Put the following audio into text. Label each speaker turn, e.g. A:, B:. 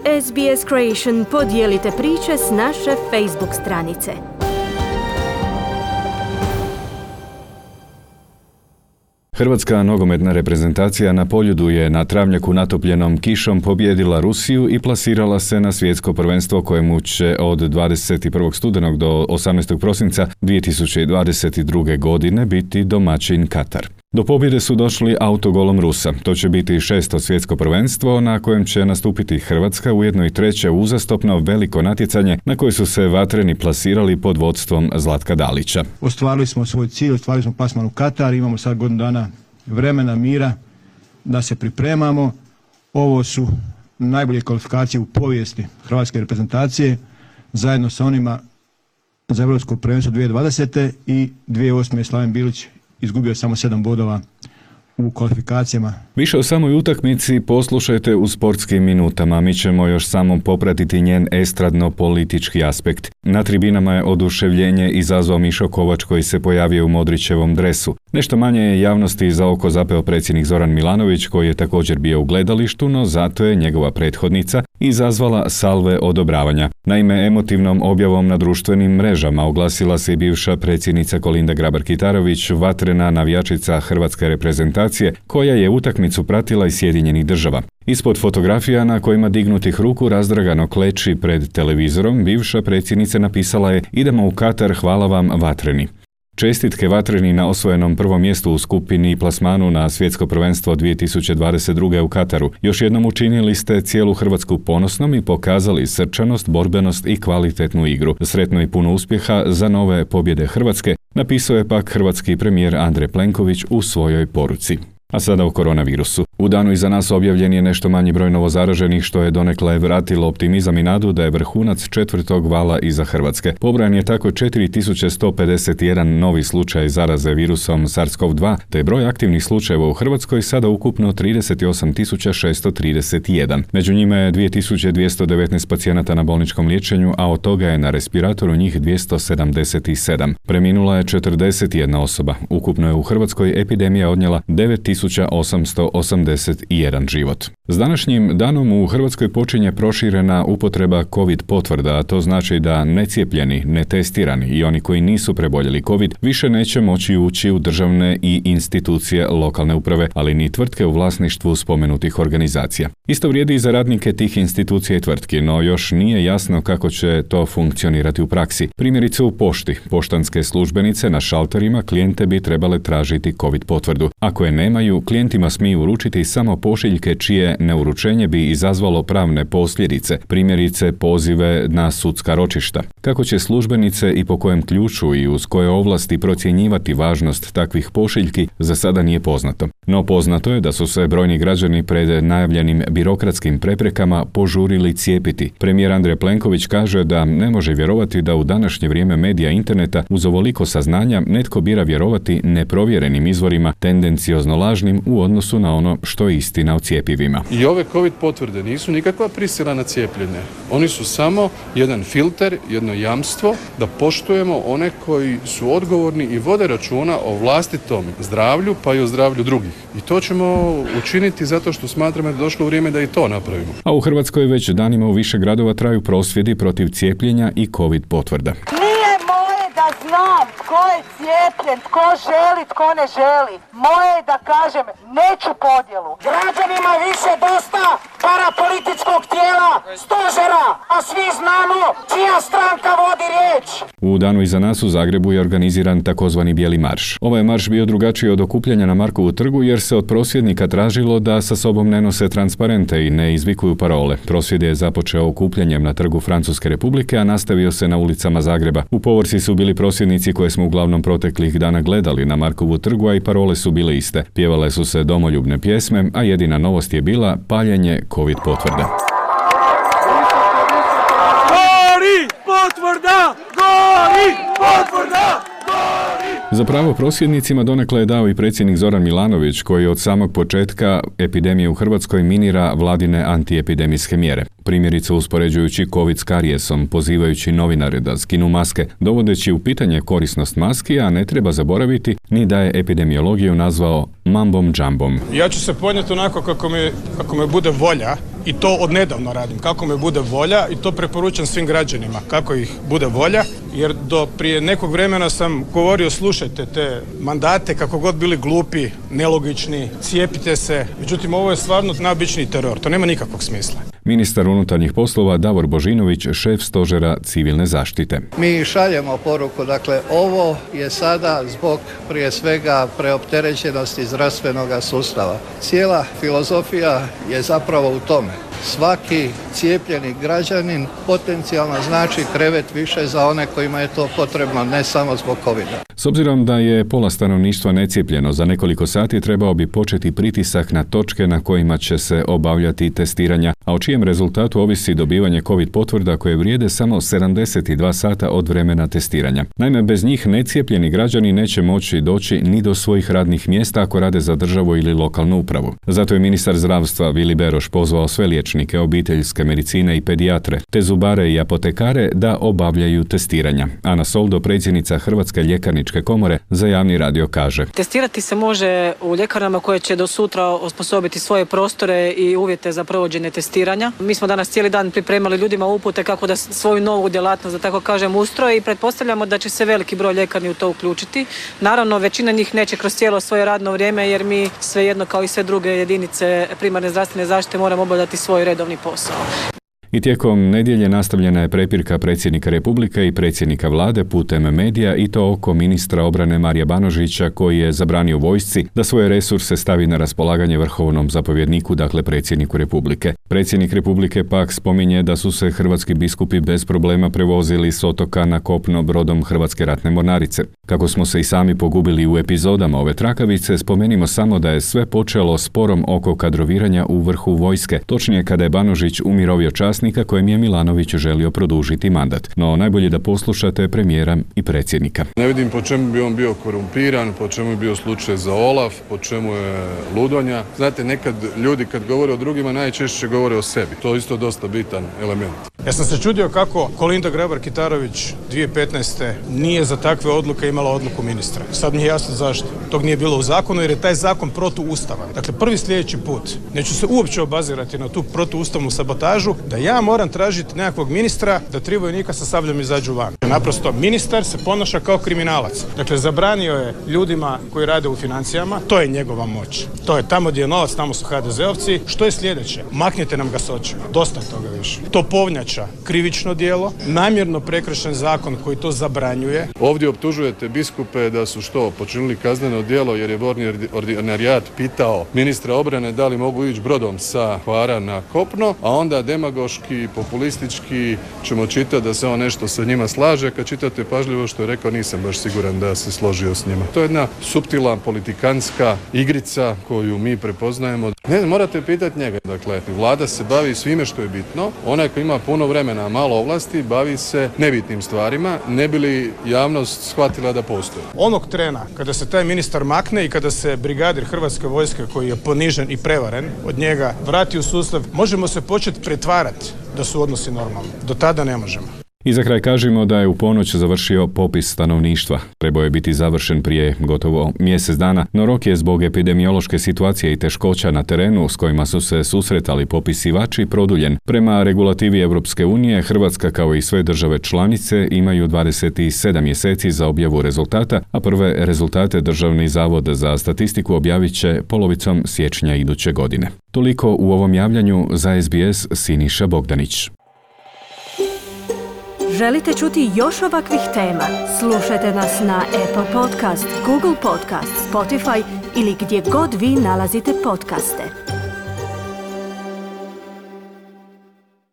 A: SBS Creation podijelite priče s naše Facebook stranice.
B: Hrvatska nogometna reprezentacija na Poljudu je na travnjaku natopljenom kišom pobijedila Rusiju i plasirala se na svjetsko prvenstvo kojemu će od 21. studenog do 18. prosinca 2022. godine biti domaćin Katar. Do pobjede su došli autogolom Rusa. To će biti 6. svjetsko prvenstvo na kojem će nastupiti Hrvatska, ujedno i 3. uzastopno veliko natjecanje na koje su se vatreni plasirali pod vodstvom Zlatka Dalića.
C: Ostvarili smo svoj cilj, ostvarili smo plasman u Katar, imamo sad godinu dana vremena, mira da se pripremamo. Ovo su najbolje kvalifikacije u povijesti hrvatske reprezentacije, zajedno sa onima za Europsko prvenstvo 2020. i 2008. Slaven Bilić izgubio samo 7 bodova u kvalifikacijama.
B: Više o samoj utakmici poslušajte u Sportskim minutama. Mi ćemo još samo popratiti njen estradno-politički aspekt. Na tribinama je oduševljenje izazvao Mišo Kovač koji se pojavio u Modrićevom dresu. Nešto manje je javnosti za oko zapeo predsjednik Zoran Milanović koji je također bio u gledalištu, no zato je njegova prethodnica izazvala salve odobravanja. Naime, emotivnom objavom na društvenim mrežama oglasila se i bivša predsjednica Kolinda Grabar-Kitarović, vatrena navijačica hrvatske reprezentacije, koja je utakmicu pratila iz Sjedinjenih Država. Ispod fotografija na kojima dignutih ruku razdragano kleči pred televizorom, bivša predsjednica napisala je: "Idemo u Katar, hvala vam vatreni." Čestitke vatreni na osvojenom prvom mjestu u skupini i plasmanu na svjetsko prvenstvo 2022. u Kataru. Još jednom učinili ste cijelu Hrvatsku ponosnom i pokazali srčanost, borbenost i kvalitetnu igru. Sretno i puno uspjeha za nove pobjede Hrvatske, napisao je pak hrvatski premijer Andrej Plenković u svojoj poruci. A sada o koronavirusu. U danu iza nas objavljen je nešto manji broj novozaraženih, što je donekle vratilo optimizam i nadu da je vrhunac 4. vala iza Hrvatske. Pobrojan je tako 4151 novi slučaj zaraze virusom SARS-CoV-2, te broj aktivnih slučajeva u Hrvatskoj sada ukupno 38.631. Među njima je 2219 pacijenata na bolničkom liječenju, a od toga je na respiratoru njih 277. Preminula je 41 osoba. Ukupno je u Hrvatskoj epidemija odnijela 9881 život. S današnjim danom u Hrvatskoj počinje proširena upotreba COVID potvrda, a to znači da necijepljeni, netestirani i oni koji nisu preboljeli COVID više neće moći ući u državne i institucije lokalne uprave, ali ni tvrtke u vlasništvu spomenutih organizacija. Isto vrijedi i za radnike tih institucija i tvrtki, no još nije jasno kako će to funkcionirati u praksi. Primjerice u pošti, poštanske službenice na šalterima klijente bi trebale tražiti COVID potvrdu. Ako je nemaju, klijentima smiju uručiti samo pošiljke čije neuručenje bi izazvalo pravne posljedice, primjerice pozive na sudska ročišta. Kako će službenice i po kojem ključu i uz koje ovlasti procjenjivati važnost takvih pošiljki, za sada nije poznato. No poznato je da su se brojni građani pred najavljenim birokratskim preprekama požurili cijepiti. Premijer Andrej Plenković kaže da ne može vjerovati da u današnje vrijeme medija interneta uz ovoliko saznanja netko bira vjerovati neprovjerenim izvorima, tendenciozno lažnim u odnosu na ono što je istina o cjepivima.
D: I ove COVID potvrde nisu nikakva prisila na cijepljenje. Oni su samo jedan filter, jedno jamstvo da poštujemo one koji su odgovorni i vode računa o vlastitom zdravlju pa i o zdravlju drugih. I to ćemo učiniti zato što smatramo da je došlo vrijeme da i to napravimo.
B: A u Hrvatskoj već danima u više gradova traju prosvjedi protiv cijepljenja i COVID potvrda.
E: Da znam tko je cijepljen, tko želi, tko ne želi. Moje je da kažem, neću podjelu. Građanima više dosta parapolitičkog tijela, stožera, a svi znamo čija stranka vodi riječ.
B: U danu iza nas u Zagrebu je organiziran takozvani Bijeli marš. Ovaj marš bio drugačiji od okupljanja na Markovu trgu jer se od prosvjednika tražilo da sa sobom ne nose transparente i ne izvikuju parole. Prosvjed je započeo okupljanjem na trgu Francuske Republike, a nastavio se na ulicama Zagreba. U povorci su bili prosvjednici koje smo uglavnom proteklih dana gledali na Markovu trgu, a i parole su bile iste. Pjevale su se domoljubne pjesme, a jedina novost je bila paljenje COVID potvrda.
F: Gori potvrda! Gori potvrda!
B: Zapravo prosvjednicima donekle je dao i predsjednik Zoran Milanović koji od samog početka epidemije u Hrvatskoj minira vladine antiepidemijske mjere. Primjerice uspoređujući COVID s karijesom, pozivajući novinare da skinu maske, dovodeći u pitanje korisnost maski, a ne treba zaboraviti ni da je epidemiologiju nazvao Mambom Džambom.
G: Ja ću se ponijeti onako kako me bude volja i to odnedavno radim. Kako me bude volja i to preporučam svim građanima. Kako ih bude volja, jer do prije nekog vremena sam govorio slušajte te mandate kako god bili glupi, nelogični, cijepite se. Međutim, ovo je stvarno najobičniji teror. To nema nikakvog smisla.
B: Ministar unutarnjih poslova Davor Božinović, šef stožera civilne zaštite.
H: Mi šaljemo poruku, dakle ovo je sada zbog prije svega preopterećenosti zdravstvenog sustava. Cijela filozofija je zapravo u tome. Svaki cijepljeni građanin potencijalno znači krevet više za one kojima je to potrebno, ne samo zbog COVID-a.
B: S obzirom da je pola stanovništva necijepljeno, za nekoliko sati trebao bi početi pritisak na točke na kojima će se obavljati testiranja, a o čijem rezultatu ovisi dobivanje COVID potvrda koje vrijede samo 72 sata od vremena testiranja. Naime, bez njih necijepljeni građani neće moći doći ni do svojih radnih mjesta ako rade za državu ili lokalnu upravu. Zato je ministar zdravstva Vili Beroš pozvao sve liječnike obiteljske medicine i pedijatre, te zubare i apotekare da obavljaju testiranja. Ana Soldo, predsjednica Hrvatske ljekarničke komore, za javni radio kaže:
I: Testirati se može u ljekarnama koje će do sutra osposobiti svoje prostore i uvjete za provođenje testiranja. Mi smo danas cijeli dan pripremali ljudima upute kako da svoju novu djelatnost, da tako kažem, ustroje i pretpostavljamo da će se veliki broj ljekarni u to uključiti. Naravno, većina njih neće kroz cijelo svoje radno vrijeme jer mi svejedno kao i sve druge jedinice primarne zdravstvene zaštite moramo obavljati svoj redovni posao.
B: I tijekom nedjelje nastavljena je prepirka predsjednika Republike i predsjednika vlade putem medija i to oko ministra obrane Marija Banožića koji je zabranio vojsci da svoje resurse stavi na raspolaganje vrhovnom zapovjedniku, dakle predsjedniku Republike. Predsjednik Republike pak spominje da su se hrvatski biskupi bez problema prevozili s otoka na kopno brodom Hrvatske ratne mornarice. Kako smo se i sami pogubili u epizodama ove trakavice, spomenimo samo da je sve počelo sporom oko kadroviranja u vrhu vojske, točnije kada je Banožić umirovio časnika kojem je Milanović želio produžiti mandat. No najbolje da poslušate premijera i predsjednika.
D: Ne vidim po čemu bi on bio korumpiran, po čemu je bio slučaj za Olaf, po čemu je ludonja. Znate, nekad ljudi kad govore o drugima najčešće govore o sebi. To je isto dosta bitan element.
G: Ja sam se čudio kako Kolinda Grabar-Kitarović 2015. nije za takve odluke imala odluku ministra. Sad mi je jasno zašto. Tog nije bilo u zakonu jer je taj zakon protuustavan. Dakle, prvi sljedeći put neću se uopće obazirati na tu protuustavnu sabotažu da ja moram tražiti nekakvog ministra da 3 vojnika sa sabljom izađu van. Naprosto, ministar se ponaša kao kriminalac. Dakle, zabranio je ljudima koji rade u financijama, to je njegova moć. To je tamo gdje je novac, tamo su HDZ-ovci. Što je sljedeće? Maknite nam ga s očima. Dosta toga više. Topovnjača, krivično djelo, namjerno prekršen zakon koji to zabranjuje.
D: Ovdje optužujete biskupe da su počinili kazneno djelo jer je Vorni ordinarijat pitao ministra obrane da li mogu ići brodom sa Hvara na kopno, a onda demagoški, populistički ćemo čitati da se on nešto sa njima slaže. Kad čitate pažljivo što je rekao, nisam baš siguran da se složio s njima. To je jedna suptilna politikanska igrica koju mi prepoznajemo. Ne, morate pitati njega. Dakle, vlada se bavi svime što je bitno. Onaj koji ima puno vremena, a malo ovlasti, bavi se nebitnim stvarima, ne bi li javnost shvatila da postoji.
G: Onog trena kada se taj ministar makne i kada se brigadir Hrvatske vojske koji je ponižen i prevaren od njega vrati u sustav, možemo se početi pretvarati da su odnosi normalni. Do tada ne možemo.
B: I za kraj kažemo da je u ponoć završio popis stanovništva. Trebao je biti završen prije gotovo mjesec dana, no rok je zbog epidemiološke situacije i teškoća na terenu s kojima su se susretali popisivači produljen. Prema regulativi Europske unije, Hrvatska kao i sve države članice imaju 27 mjeseci za objavu rezultata, a prve rezultate Državni zavod za statistiku objavit će polovicom siječnja iduće godine. Toliko u ovom javljanju, za SBS Siniša Bogdanić.
A: Želite čuti još ovakvih tema? Slušajte nas na Apple Podcast, Google Podcast, Spotify ili gdje god vi nalazite podcaste.